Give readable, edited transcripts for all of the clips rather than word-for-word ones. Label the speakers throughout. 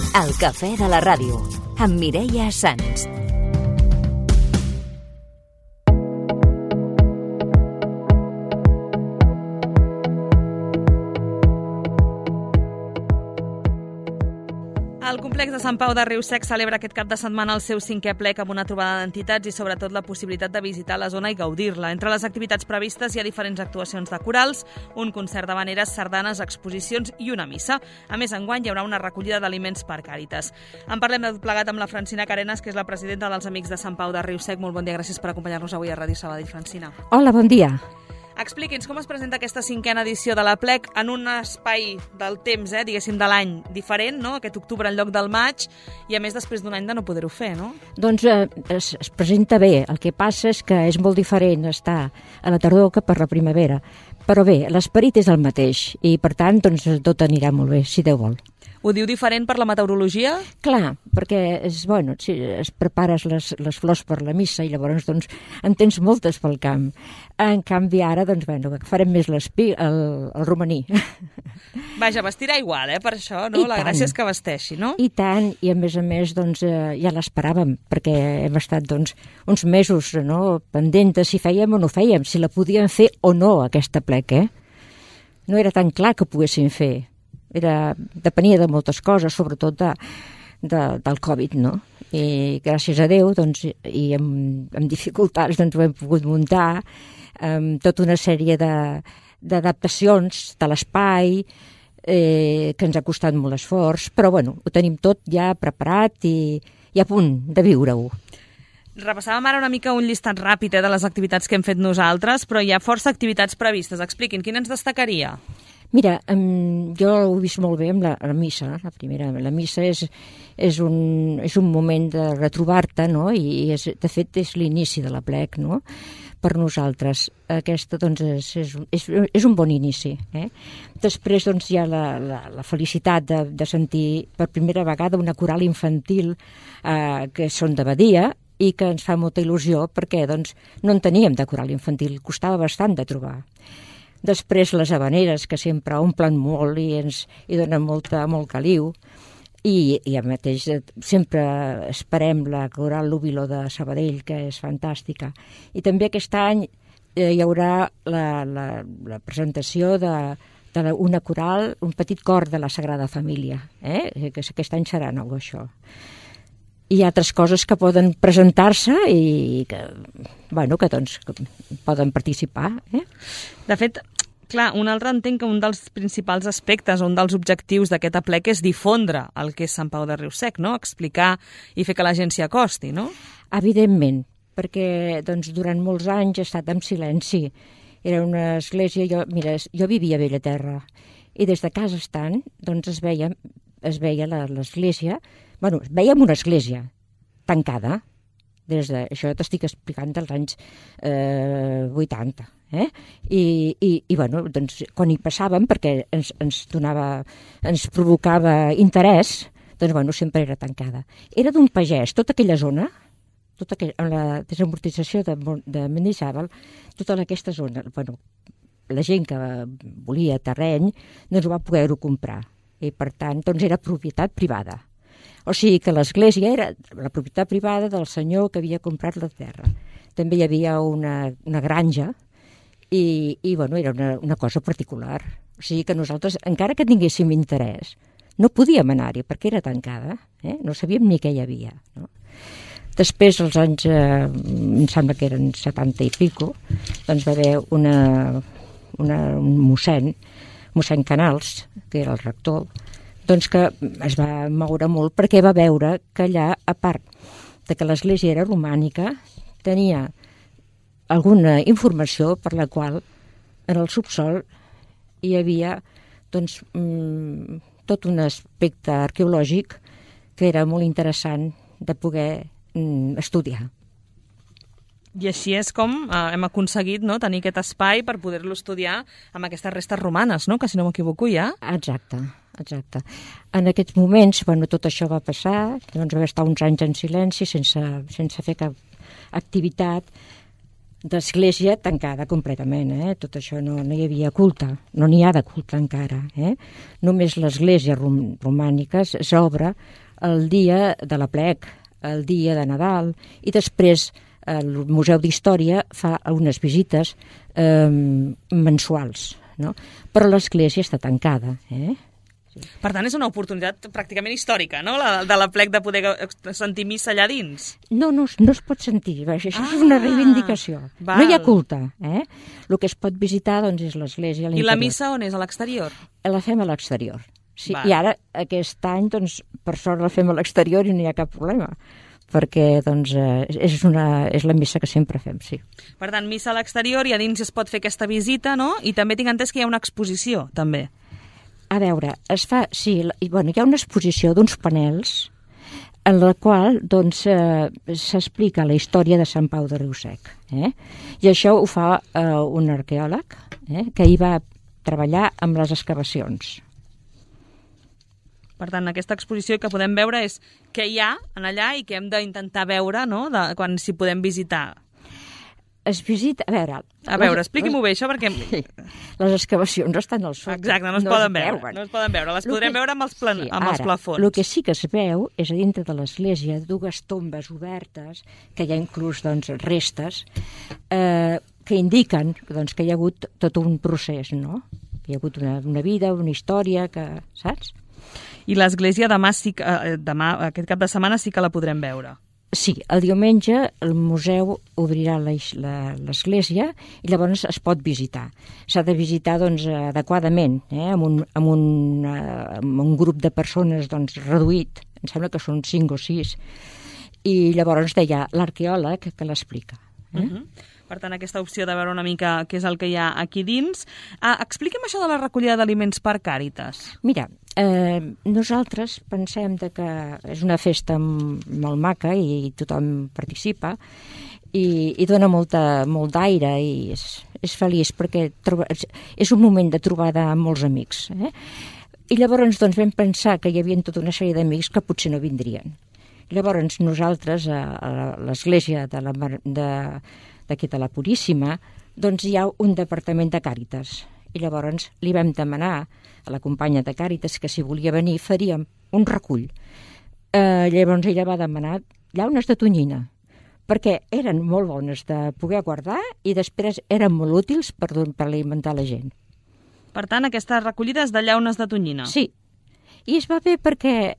Speaker 1: El cafè de la ràdio, amb Mireia Sans.
Speaker 2: El complex de Sant Pau de Riu-Sec celebra aquest cap de setmana el seu 5è plec amb una trobada d'entitats i sobretot la possibilitat de visitar la zona i gaudir-la. Entre les activitats previstes hi ha diferents actuacions de corals, un concert d'havaneres, sardanes, exposicions i una missa. A més, enguany hi haurà una recollida d'aliments per Càritas. En parlem de tot plegat amb la Francina Carenas, que és la presidenta dels Amics de Sant Pau de Riu-Sec. Molt bon dia, gràcies per acompanyar-nos avui a Ràdio Sabadell, Francina.
Speaker 3: Hola, bon dia.
Speaker 2: Expliqui'ns com es presenta aquesta 5a edició de la plec en un espai del temps, diguéssim, de l'any diferent, no? Aquest octubre en lloc del maig, i a més després d'un any de no poder-ho fer, no?
Speaker 3: Doncs es presenta bé. El que passa és que és molt diferent estar a la tardor que per la primavera. Però bé, l'esperit és el mateix i, per tant, doncs, tot anirà molt bé, si Déu vol.
Speaker 2: Ho diu diferent per la meteorologia?
Speaker 3: Clar, perquè si es prepares les flors per la missa i llavors doncs, en tens moltes pel camp. En canvi ara doncs, farem més el romaní.
Speaker 2: Vaja, vestirà igual, per això, no? La gràcia és que vesteixi, no?
Speaker 3: I tant, i a més doncs, ja l'esperàvem, perquè hem estat doncs, uns mesos pendents de si fèiem o no fèiem, si la podíem fer o no aquesta plec, No era tan clar que poguéssim fer. Depenia de moltes coses, sobretot del Covid, no? I gràcies a Déu, doncs, i amb dificultats, doncs, ho hem pogut muntar, amb tota una sèrie d'adaptacions de l'espai, que ens ha costat molt esforç, però bueno, ho tenim tot ja preparat i a punt de viure-ho.
Speaker 2: Repassàvem ara una mica un llistat ràpid de les activitats que hem fet nosaltres, però hi ha força activitats previstes. Expliquin, quina ens destacaria?
Speaker 3: Mira, jo ho he vist molt bé amb la missa, la primera. La missa és un moment de retrobar-te, no? I de fet és l'inici de la plec, no? Per nosaltres. Aquesta doncs, és un bon inici. Després doncs, hi ha la felicitat de sentir per primera vegada una coral infantil que són de Badia i que ens fa molta il·lusió perquè doncs, no en teníem de coral infantil, costava bastant de trobar. Després les havaneres, que sempre omplen molt i donen molt caliu. I a mateix sempre esperem la coral Lúbilo de Sabadell, que és fantàstica. I també aquest any hi haurà la presentació d'una coral, un petit cor de la Sagrada Família, que aquest any serà nou, això. Hi ha altres coses que poden presentar-se i que poden participar.
Speaker 2: De fet, clar, un altre entenc que un dels principals aspectes, un dels objectius d'aquest aplec és difondre el que és Sant Pau de Riu-Sec, no? Explicar i fer que la gent s'hi acosti, no?
Speaker 3: Evidentment, perquè doncs, durant molts anys he estat en silenci. Era una església, jo vivia a Bellaterra i des de casa estant doncs, es veia l'església. Veiem una església tancada, això t'estic explicant dels anys 80, I doncs, quan hi passàvem, perquè ens provocava interès, doncs sempre era tancada. Era d'un pagès, tota aquella zona, amb la desamortització de Mendizábal, tota aquesta zona, la gent que volia terreny, doncs va poder-ho comprar. I per tant, doncs era propietat privada. O sigui que l'església era la propietat privada del senyor que havia comprat la terra. També hi havia una granja i era una cosa particular. O sigui que nosaltres, encara que tinguéssim interès, no podíem anar-hi perquè era tancada, no sabíem ni què hi havia. No? Després, als anys, em sembla que eren 70 i pico, doncs va haver un mossèn Canals, que era el rector, doncs que es va moure molt perquè va veure que allà, a part de que l'església era romànica, tenia alguna informació per la qual en el subsol hi havia doncs, tot un aspecte arqueològic que era molt interessant de poder estudiar.
Speaker 2: I així és com hem aconseguit tenir aquest espai per poder-lo estudiar amb aquestes restes romanes, no? Que si no m'equivoco ja.
Speaker 3: Exacte. En aquests moments, tot això va passar, doncs va estar uns anys en silenci sense fer cap activitat. d'església tancada completament, tot això no hi havia culte, no n'hi ha de culte encara. Només l'església romànica s'obre el dia de l'aplec, el dia de Nadal, i després el Museu d'Història fa unes visites mensuals, no? Però l'església està tancada.
Speaker 2: Per tant, és una oportunitat pràcticament històrica, no?, de l'aplec de poder sentir missa allà dins.
Speaker 3: No es pot sentir, això és una reivindicació.
Speaker 2: Val.
Speaker 3: No hi ha culte. El que es pot visitar doncs, és l'església a l'interior.
Speaker 2: I la missa on és? A l'exterior?
Speaker 3: La fem a l'exterior. Sí,
Speaker 2: Val.
Speaker 3: i ara, aquest any, doncs, per sort la fem a l'exterior i no hi ha cap problema, perquè doncs, és la missa que sempre fem, sí.
Speaker 2: Per tant, missa a l'exterior i a dins es pot fer aquesta visita, no? I també tinc entès que hi ha una exposició, també.
Speaker 3: A veure, hi ha una exposició d'uns panels en la qual doncs, s'explica la història de Sant Pau de Riu-sec. I això ho fa un arqueòleg que hi va treballar amb les excavacions.
Speaker 2: Per tant, aquesta exposició que podem veure és què hi ha en allà i que hem d'intentar veure, no?, quan s'hi podem visitar.
Speaker 3: Es visita...
Speaker 2: A veure, expliqui-m'ho bé, això, perquè...
Speaker 3: Les excavacions estan al sota.
Speaker 2: Exacte, no es poden veure. No es poden veure, les podrem veure amb els plafons.
Speaker 3: El que sí que es veu és a dintre de l'església dues tombes obertes, que hi ha inclús doncs, restes, que indiquen doncs, que hi ha hagut tot un procés, no? Que hi ha hagut una vida, una història, saps?
Speaker 2: I l'església demà, aquest cap de setmana, sí que la podrem veure.
Speaker 3: Sí, el diumenge el museu obrirà l'església i llavors es pot visitar. S'ha de visitar doncs, adequadament, amb un grup de persones doncs, reduït, em sembla que són 5 o 6, i llavors deia l'arqueòleg que l'explica.
Speaker 2: Per tant, aquesta opció de veure una mica què és el que hi ha aquí dins. Expliqui'm això de la recollida d'aliments per Càritas.
Speaker 3: Mira, nosaltres pensem que és una festa molt maca i tothom participa i dona molt d'aire i és feliç perquè és un moment de trobada amb molts amics. I llavors doncs, vam pensar que hi havia tota una sèrie d'amics que potser no vindrien. Llavors nosaltres a l'església d'aquí de la Puríssima doncs hi ha un departament de Càritas i llavors li vam demanar a la companya de Càritas que si volia venir faríem un recull. Llavors ella va demanar llaunes de tonyina perquè eren molt bones de poder guardar i després eren molt útils per alimentar la gent.
Speaker 2: Per tant, aquesta recollida és de llaunes de tonyina.
Speaker 3: Sí, i es va bé perquè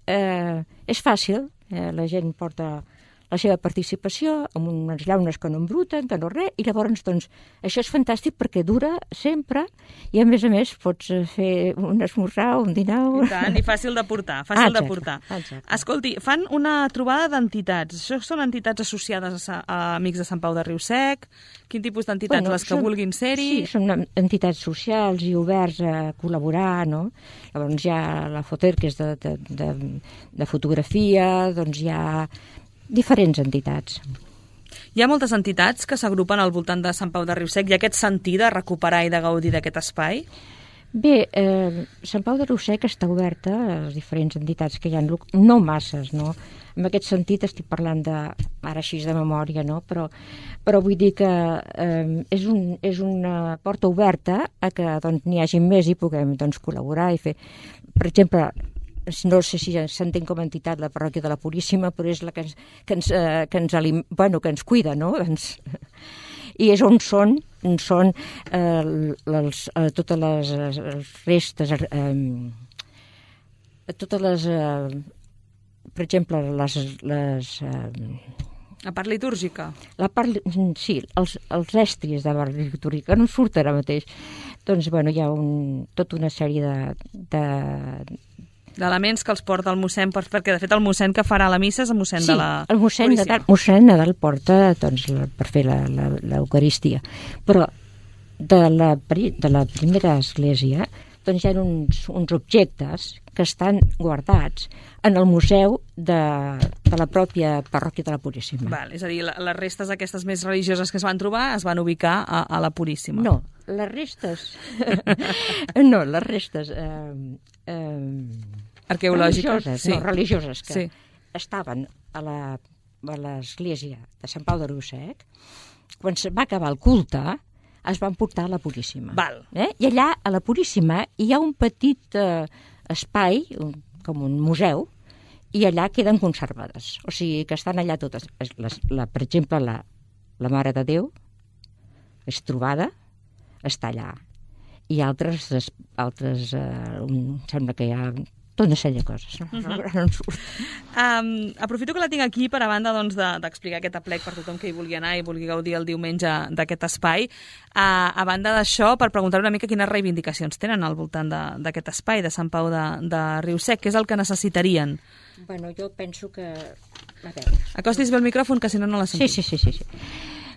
Speaker 3: és fàcil, la gent porta la seva participació amb unes llaunes que no embruten, que no res, i llavors doncs, això és fantàstic perquè dura sempre i a més pots fer un esmorzar o un dinar.
Speaker 2: I tant, i fàcil de portar, de portar.
Speaker 3: Exacte.
Speaker 2: Escolti, fan una trobada d'entitats. Això són entitats associades a Amics de Sant Pau de Riu-sec? Quin tipus d'entitats? Les que vulguin ser-hi?
Speaker 3: Sí, són entitats socials i oberts a col·laborar, no? Llavors hi ha la Foter, que és de fotografia, doncs hi ha diferents entitats.
Speaker 2: Hi ha moltes entitats que s'agrupen al voltant de Sant Pau de Riu-sec. Hi ha aquest sentit de recuperar i de gaudir d'aquest espai?
Speaker 3: Bé, Sant Pau de Riu-sec està oberta a les diferents entitats que hi ha, no masses, no? En aquest sentit estic parlant ara així de memòria, no? Però vull dir que és una porta oberta a que doncs, n'hi hagi més i puguem doncs, col·laborar i fer... Per exemple, no sé si s'entén com a entitat la parròquia de la Puríssima, però és la que ens cuida, no? I és on són totes les restes, totes les, per exemple,
Speaker 2: La part litúrgica?
Speaker 3: Sí, els estris de la litúrgica, no em surt ara mateix. Doncs, bueno, hi ha tota una sèrie
Speaker 2: d'elements que els porta el mossèn, perquè de fet el mossèn que farà la missa és el mossèn de la Puríssima.
Speaker 3: El mossèn Nadal porta doncs, per fer l'Eucaristia. Però de la primera església doncs, hi ha uns objectes que estan guardats en el museu de la pròpia parròquia de la Puríssima.
Speaker 2: Val, és a dir, les restes aquestes més religioses que es van trobar es van ubicar a la Puríssima.
Speaker 3: No, les restes... no, les restes...
Speaker 2: arqueològiques,
Speaker 3: sí. No, religioses, que estaven a l'església de Sant Pau de Riu-sec, quan se va acabar el culte, es van portar a la Puríssima.
Speaker 2: Val.
Speaker 3: I allà, a la Puríssima, hi ha un petit espai, com un museu, i allà queden conservades. O sigui, que estan allà totes. Per exemple, la Mare de Déu és trobada, està allà. I altres sembla que hi ha tota una sèrie de coses.
Speaker 2: Aprofito que la tinc aquí per a banda d'explicar aquest aplec per tothom que hi vulgui anar i vulgui gaudir el diumenge d'aquest espai. A banda d'això, per preguntar una mica quines reivindicacions tenen al voltant d'aquest espai de Sant Pau de Riu-sec, què és el que necessitarien?
Speaker 3: Bueno, jo penso que... A veure...
Speaker 2: Acostis bé el micròfon, que si no la sentim.
Speaker 3: Sí.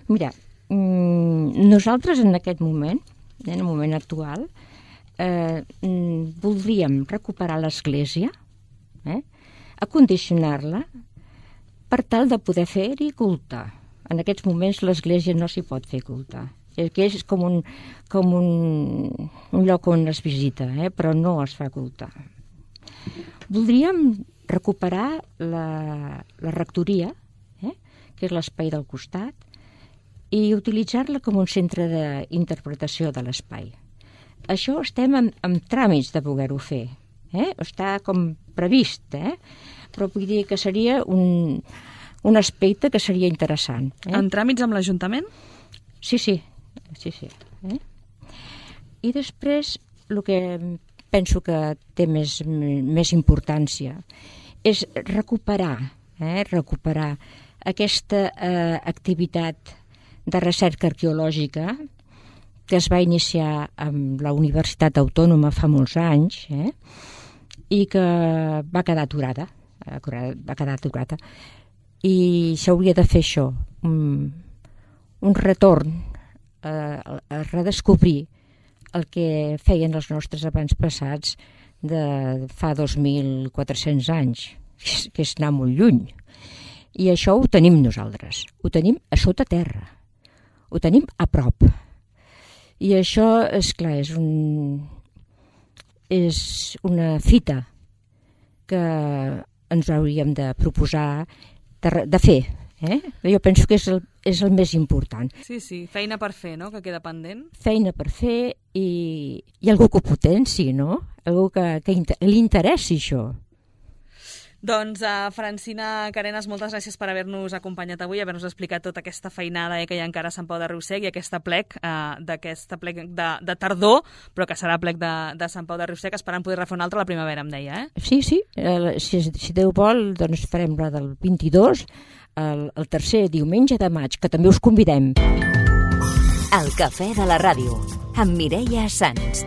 Speaker 3: Mira, nosaltres en aquest moment, en el moment actual, voldríem recuperar l'església, acondicionar-la per tal de poder fer-hi culte. En aquests moments l'església no s'hi pot fer culte, que és com un lloc on es visita, però no es fa culte. Voldríem recuperar la rectoria, que és l'espai del costat, i utilitzar-la com un centre d'interpretació de l'espai. Això estem en tràmits de poder-ho fer. Està com previst, però vull dir que seria un aspecte que seria interessant.
Speaker 2: En tràmits amb l'Ajuntament?
Speaker 3: Sí. I després, el que penso que té més importància és recuperar aquesta activitat de recerca arqueològica que es va iniciar amb la Universitat Autònoma fa molts anys i que va quedar aturada. I s'hauria de fer això, un retorn a redescobrir el que feien els nostres avantpassats de fa 2.400 anys, que és anar molt lluny. I això ho tenim nosaltres, ho tenim a sota terra, ho tenim a prop. I això, esclar, és una fita que ens hauríem de proposar de fer. Jo penso que és el més important.
Speaker 2: Sí, feina per fer, no?, que queda pendent.
Speaker 3: Feina per fer i algú que ho potenci, no? Algú que li interessi això.
Speaker 2: Doncs, Francina Carenas, moltes gràcies per haver-nos acompanyat avui, haver-nos explicat tota aquesta feinada que hi ha encara a Sant Pau de Riu-sec i aquest aplec de tardor, però que serà aplec de Sant Pau de Riu-sec, esperant poder refer un altre a la primavera, em deia,
Speaker 3: Sí. Si Déu vol, doncs farem la del 22, el tercer diumenge de maig, que també us convidem.
Speaker 1: El cafè de la ràdio, amb Mireia Sans.